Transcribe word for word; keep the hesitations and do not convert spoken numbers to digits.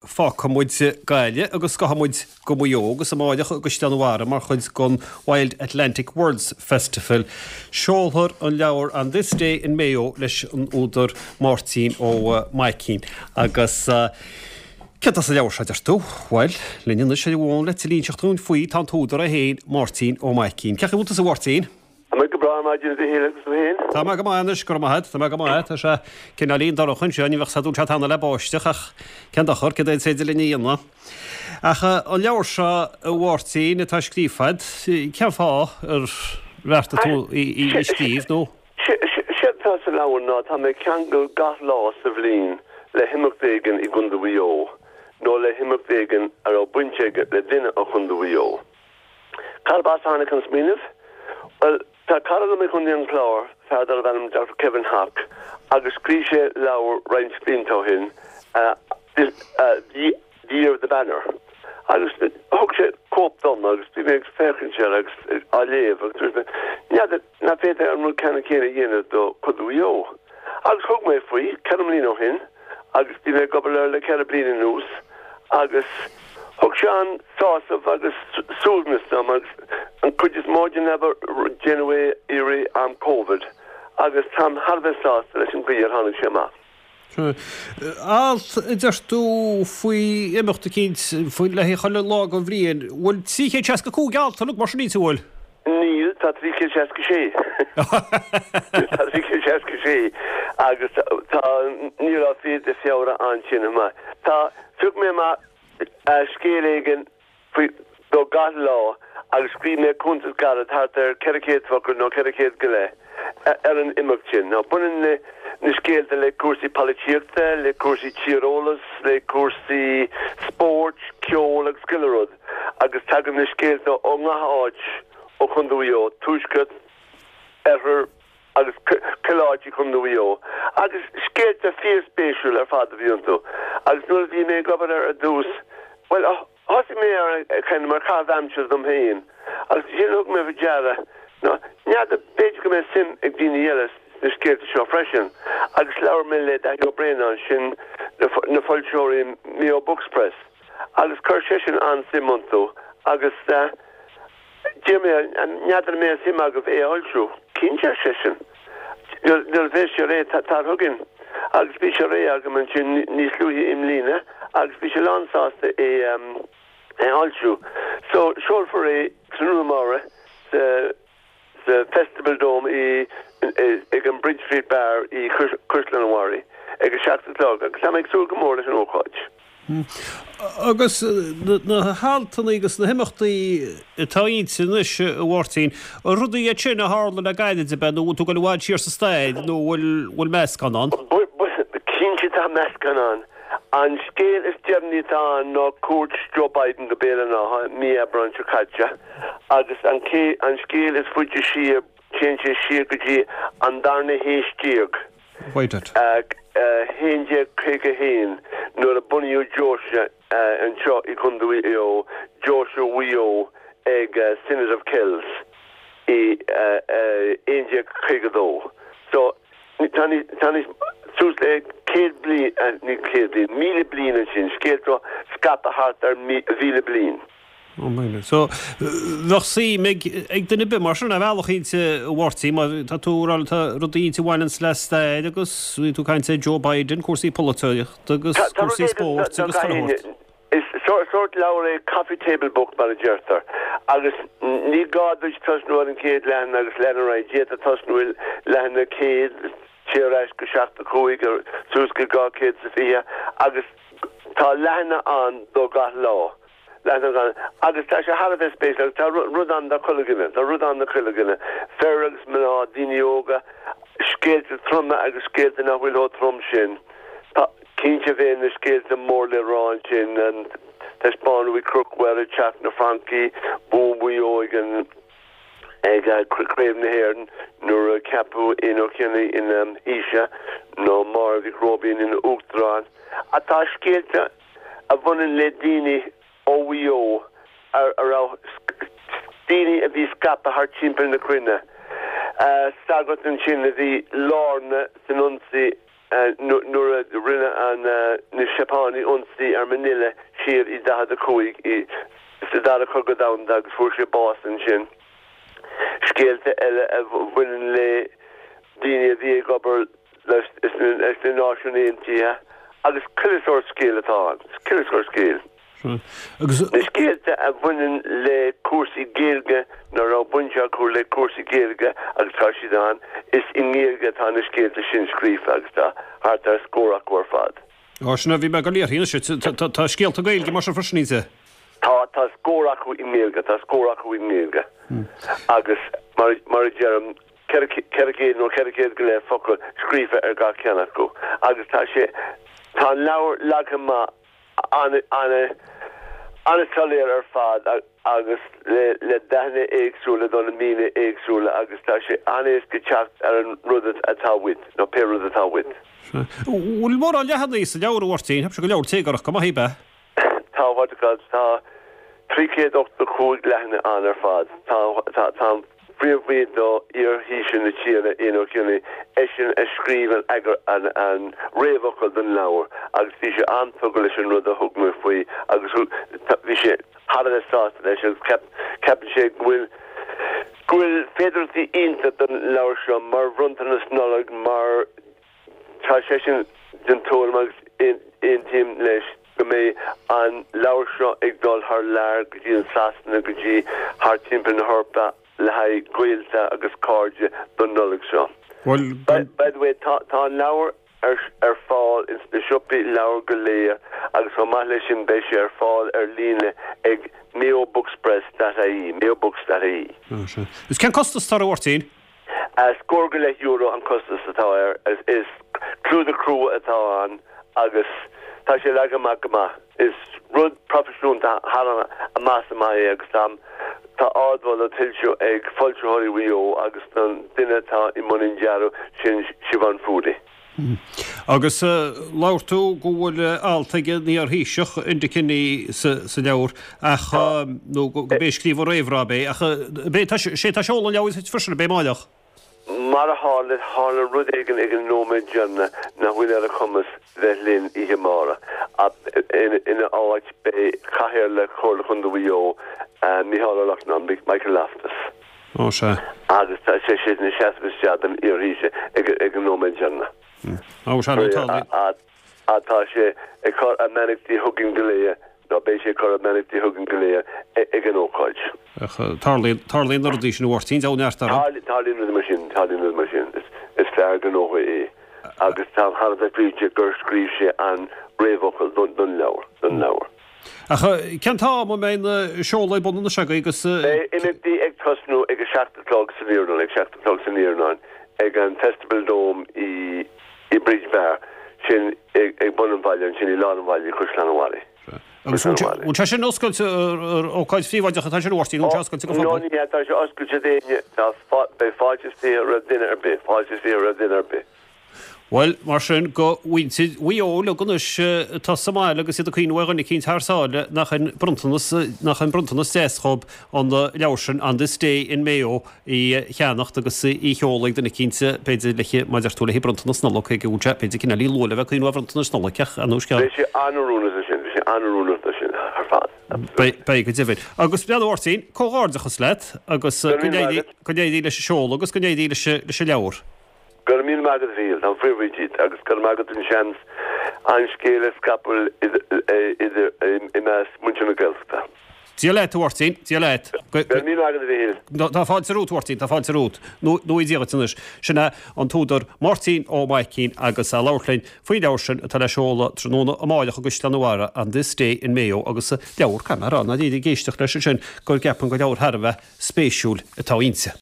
Fágfaidh muid Gaillimh agus gabhfaidh muid go Maigh Eo agus amárach i gCaisleán an Bharraigh mar chuid den Wild Atlantic Words Festival. Seolfar an leabhar On This Day in Mayo leis an údar Máirtín Ó Maicín agus céard atá sa leabhar seo deir tú? Bhuel, linn anois ar an bhfón le tuilleadh a inseacht dúinn faoi tá an t-údar é féin Máirtín Ó Maicín. Cén chaoi a bhfuil tusa a Mháirtín? Tá mé go breá ar maidin a Mhichíl agus tú féin? Tá mé go maith anois, go raibh maith agat, tá mé go maith, tá sé cineáilín dorcha anseo, ní bheadh sé dúil sé tanna le báisteach ach cén dochar, céard é is féidir linn a dhéanamh. Ach an leabhar seo a Mháirtín atá scríofa agat, cén fáth ar bheartaigh tú í a scríobh nó? Séard atá sa leabhar ná tá mé ag ceangal gach lá sa bhliain le himeacht éigin i gContae Mhaigh Eo nó le himeacht éigin a raibh baint aige le duine ó Chontae Mhaigh Eo. Cárb as a tháinig an smaoineamh? Bhuel, tá cara liom i gContae an Chláir, fear darbh ainm Doctor Kevin Hock, agus scríobh sé leabhar roinnt blianta ó shin, The Year of the Banner. Agus thug sé cóip dom agus bhí mé ag féachaint air agus á léamh agus dúirt mé, n'fheadar nach bhféadfaí an rud ceannann céanna a dhéanamh do Chontae Mhaigh Eo. Agus thug mé faoi, ceithre mbliana ó shin, agus bhí mé ag obair air le ceithre bliana anuas agus thug sé an-sásamh agus suaimhneas dom agus an chuid is mó den obair déanadh é i rith am Covid agus táim thar a bheith sásta leis an gcaoi ar tháinig sé amach. Alt a deir tú faoi imeacht eicínt faoi le chuile lá den bhliain, bhfuil trí chéad seasca cúig alt uilig mar sin inti, bhfuil? Níl, tá trí chéad seasca sé. Tá trí chéad seasca sé agus tá ní raibh fiche de Feabhra ansin chomh maith. Tá, phioc mé amach scéal éigin faoi do gach lá agus scríobh mé cuntas gairid thart ar ceithre chéad focal nó ceithre chéad go leith ar an imeacht sin. Now baineann na na scéalta le cúrsaí polaitíochta, le cúrsaí tíreolas, le cúrsaí spóirt, ceol agus chuile rud agus tagann na scéalta ó ngach áit ó Chontae Mhaigh Eo, tuaisceart, oirthear agus chuile áit i Chontae Mhaigh Eo. Agus scéalta fíorspéisiúil ar fad a bhí iontu. Agus nuair a bhí mé ag obair ar ar dtús, bhuel, thosaigh mé ar kind of mar chaitheamh aimsire dom féin agus ansin thug mé faoi deara ná n'fheadar b'fhéidir go mbeadh suim ag daoine eile sna scéalta seo freisin agus labhair mé le Daithí Ó Braonáin sin na foilsitheoirí Mayo Books Press agus chuir seisean an-suim iontu agus d'iarr mé n'fheadar an mbeadh suim agaibh é a fhoilsiú. Cinnte ar seisean. Nuair a bheas sé réidh tar chugainn agus bhí sé réidh agam ansin níos luaithe i mbliana agus bhí sé lánsásta é a fhoilsiú. So seolfar é tráthnóna amárach sa sa Festival Dome i ag an Bridge Street Bar i Caisleán an Bharraigh ag a seacht a chlog agus tá mé ag súil go mór leis an ócáid. Agus na haltanna agus na himeachtaí atá inti anois a Mháirtín, rudaí iad sin a tharla le gairid ab ea nó bhfuil tú ag dul i bhfad siar sa stair nó bhfuil bhfuil meascán ann? Cinnte tá meascán ann. An scéal is deireanaí atá ann ná cuairt Joe Biden go Béal an Átha mí Aibreáin seo caite agus an an scéal is faide siar téann sé siar go dtí an darna haois déag. haon déag caoga haon nuair a bunaíodh deoise anseo i gContae Mhaigh Eo, Deoise Mhaigh Eo ag Synod of Kells i aon déag caoga dó. So tá tá níos suas le céad bliain, ní céad bliain, míle bliain ansin, scéalta scaipthe thart ar mhíle bliain. Ó míle. So bheadh suim ag ag duine ar bith mar sin ar bhealach inti a Mháirtín mar tá tú ag rá tá rudaí inti a bhaineanns le stair agus bhí tú ag caint ar Joe Biden, cúrsaí polaitíochta agus Tá rud cúrsaí éigin spóirt do agus gach chuile éinne. shórt. Is sórt leabhar é coffee table book mar a deirtear agus ní gá duit tosnú ar an chéad leathanach agus lean ar aghaidh. D'fhéadfá tosnú i leathanach céad, téigh ar ais go seachtó cúig, suas go dhá chéad is a fiche agus tá leathanach ann do gach lá. Leathanach ann agus tá sé thar a bheith spéisiúil agus tá rud ann do chuile dhuine, tá rud ann do chuile dhuine, fir agus mná, daoine óga, scéalta troma agus scéalta nach bhfuil chomh trom sin. Tá. Cinnte bhí na scéalta mór le rá ansin, an taispeánadh Uí Chonchubhair ag Teach na Francaí, bua Mhaigh Eo ag an ag Craobh na hÉireann nuair a ceapadh Éanna Ó Cionnaith ina Thaoiseach nó Máire Mhic Róibín ina Uachtarán. Ach tá scéalta a bhaineann le daoine ó Mhaigh Eo a raibh daoine a bhí scaipthe thart timpeall na cruinne. Sagart ansin a bhí lárnach san ionsaí nuair a rinne an na Seapánaigh ionsaí ar Manila siar i daichead a cúig i sa dara cogadh domhanda agus fuair sé bás ansin. Scéalta eile a bhaineann le daoine a bhí ag obair leis na Náisiúin Aontaithe agus chuile sórt scéal atá ann, chuile sórt scéal. Agus. Na scéalta a bhaineann le cúrsaí Gaeilge nó a raibh baint acu le cúrsaí Gaeilge agus tá siad ann, is i nGaeilge atá na scéalta sin scríofa agus tá thart ar scór acu ar fad. Á, sin a bhí mé ag dul a iarraidh anois. Tá scéalta Gaeilge mar sin freisin inti? Tá, tá scór acu i nGaeilge, tá scór acu i nGaeilge. Agus mar, mar a deirim, ceithre, ceithre chéad nó ceithre chéad go leith focal scríofa ar gach ceann acu. Agus tá sé, tá an leabhar leagtha amach an-soiléir ar fad agus le dathanna éagsúla do na míonna éagsúla agus tá sé an-éasca teacht ar an rud atá uait, nó pé rud atá uait. Bhfuil mórán leathanaigh sa leabhar, a Mháirtín? Cheap sé gur leabhar téagarthach go maith é, ab ea? Tá, what do you call it, tá trí chéad ochtó cúig leathanach ann ar fad. Tá, tá, tá an Príomh-Aoi do iar-Thaoiseach na tíre, Éanna Ó Cionnaith, eisean a scríobh an eagar, an, an réamhfhocal don leabhar agus bhí sé an-tugtha leis an rud a thug mé faoi agus thug, bhí sé thar a bheith sásta leis agus ceap, ceapann sé go bhfuil, go bhfuil féidearthachtaí iontach don leabhar seo mar bhronntanas Nollag mar tá seisean den tuairim agus aontaím leis go mbeidh an leabhar seo ag dul thar lear go dtí an Sasana, go dtí thar timpeall na hEorpa. le haghaidh gaolta agus cairde don Nollaig seo. Bhuel, By, by the way, tá, tá an leabhar ar, ar fáil ins na siopaí leabhar go léir agus chomh maith leis sin beidh sé ar fáil ar líne ag mayobookspress dot ie, mayobooks dot ie. Ah, sea. Is cén costas atá air, a Mháirtín? Scór go leith euro an costas atá air. Is, is clúdach crua atá ann agus tá sé leagtha amach go maith. Is rud proifisiúnta thar amach is amach é agus tá tá ardmholadh tuillte ag Foilsitheoirí Mhaigh Eo agus don duine atá i mbun an dearaidh, sin Siobhán Furey. Agus labhair tú go bhfuil alt ag an iar-Thaoiseach Enda Kenny sa sa leabhar ach nó go b'é a scríobh an réamhrá ab é ach b'é tá sé atá ag seoladh an leabhair freisin ab é amárach? Mar a tharla, tharla rud éigin ag an nóiméad deireanach nach bhfuil ar a chumas bheith linn oíche amárach. Ina áit beidh Cathaoirleach Chomhairle Chontae Mhaigh Eo, Micheál Ó Lachtnáin, Michael Loftus. Ó sea. Agus tá sé sin ag seasamh isteach don iarThaoiseach ag an nóiméad deireanach. Ó sea, nó tá. Tá sé ag cur a mbeannachtaí chugainn go léir. Nó beidh sé ag cur a mbeannachtaí chugainn go léir ag an ócáid. Ach tarlaíonn, tarlaíonn na rudaí sin, a Mháirtín, deabhal neart orthu. Tarlaíonn rudaí mar sin, tarlaíonn rudaí mar sin. Is fear gnótha é agus táim thar a bheith buíoch gur scríobh sé an réamhfhocal don leabhar, don leabhar. Ach cén t-am a mbeidh an seoladh ar bun anois agaibh agus. Beidh imeachtaí ag tosnú ag a seacht a chlog san iarnóin, ag seacht a chlog san iarnóin ag an Festival Dome i i Bridge Bar, sin ag bun an bhaile ansin i lár an bhaile i gCaisleán an Bharraigh. Agus bhfuil sé sin oscailte ar ócáid phríobháideach atá sin a Mháirtín, nó bhfuil sé oscailte don phobal? No, ní hea, tá sé oscailte d'éinne, tá, beidh fáilte is fiche roimh duine ar bith, fáilte is fiche roimh duine ar bith. Bhuel, mar sin, do mhuintir Mhaigh Eo uilig anois atá sa mbaile agus iad ag cuimhneamh ar dhuine eicínt thar sáile, nach in bronntanas, nach in bronntanas deas dhób an leabhar sin, On This Day in Mayo, í cheannacht agus í sheoladh ag duine eicínt, b'fhéidir, le, mar a deir tú, le bronntanas Nollag, cé go bhfuil sé, b'fhéidir, cineáilín luath le bheith ag cuimhneamh ar bhronntanais Nollag, ach ar ndóigh scéal. Beidh sé an-oiriúnach do sin, beidh sé an-oiriúnach do sin ar fad. Beidh, beidh, go deimhin. Agus, a Mháirtín, comhghairdeachas leat agus Go go raibh míle maith n-éirí, agat. go n-éirí leis an seoladh agus go n-éirí leis, leis an leabhar. Go raibh míle maith agat a Mhíchíl, táim fíorbhuíoch díot agus go raibh maith agat an seans an scéal a scaipeadh idir, i measc muintir na Gaeltachta. Dia leat, a Mháirtín, Dia leat. Go raibh míle maith agat, a Mhíchíl. Tá fáilte romhat, a Mháirtín, tá fáilte romhat. Nó Dia dhuit anois. Sin é an t-údar Máirtín Ó Maicín agus é ag labhairt linn faoin leabhar sin atá le seoladh tráthnóna amáireach i gCaisleán an Bharraigh, On This Day in Mayo agus leabhar, caithfidh mé a rá, ná ag éisteacht leis ansin go gceapaim gur leabhar thar a bheith spéisiúil atá inti.